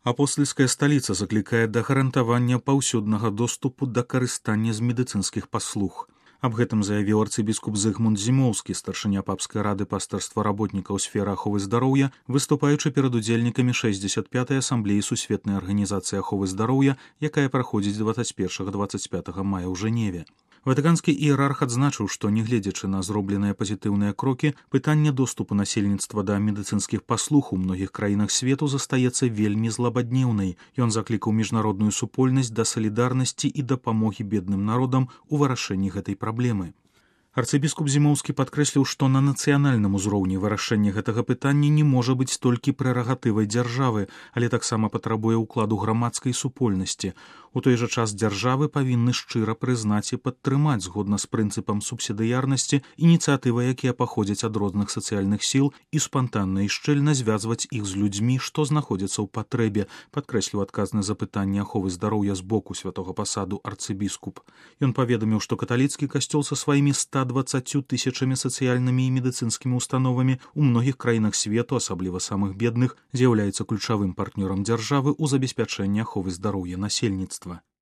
Апостальская сталіца заклікае да гарантавання паўсюднага доступу да карыстання з медыцынскіх паслуг. Аб гэтым заявіў арцыбіскуп Зыгмунд Зімоўскі, старшыня папскай рады пастырства работнікаў сферы аховы здароўя, выступаючы перад удзельнікамі 65-й асамблеі сусветнай арганізацыі аховы здароўя, якая праходзіць 21-25 мая ў Жэневе. Ватыканскі іерарх адзначыў, што, нягледзячы на зробленыя пазітыўныя крокі, пытанне доступу насельніцтва да медыцынскіх паслуг у многіх краінах свету застаецца вельмі злабаднеўнай. Ён заклікаў міжнародную супольнасць да салідарнасці і дапамогі бедным народам у вырашэнні гэтай праблемы. Арцыбіскуп Зімоўскі падкрэсліў, што на нацыянальным узроўні вырашэнне гэтага пытання не можа быць толькі прэрагатывай дзяржавы, але таксама патрабуе ўкладу грамадскай супольнасці. У той жа час дзяржавы павінны шчыра прызнаць і падтрымаць, згодна з прынцыпам субсідыярнасці, ініцыятывы, якія паходзяць ад розных сацыяльных сіл, і спантанна і шчыльна звязваць іх з людзьмі, што знаходзяцца ў патрэбе, падкрэсліў адказны за пытанне аховы здароўя з боку святога пасаду арцыбіскуп. Ён паведаміў, што каталіцкі касцёл са сваімі 120 тысячамі сацыяльнымі і медыцынскімі установамі ў многіх краінах свету, асабліва самых бедных, з'яўляецца ключавым партнёрам дзяржавы ў забеспячэнні аховы здароўя насельніцтва.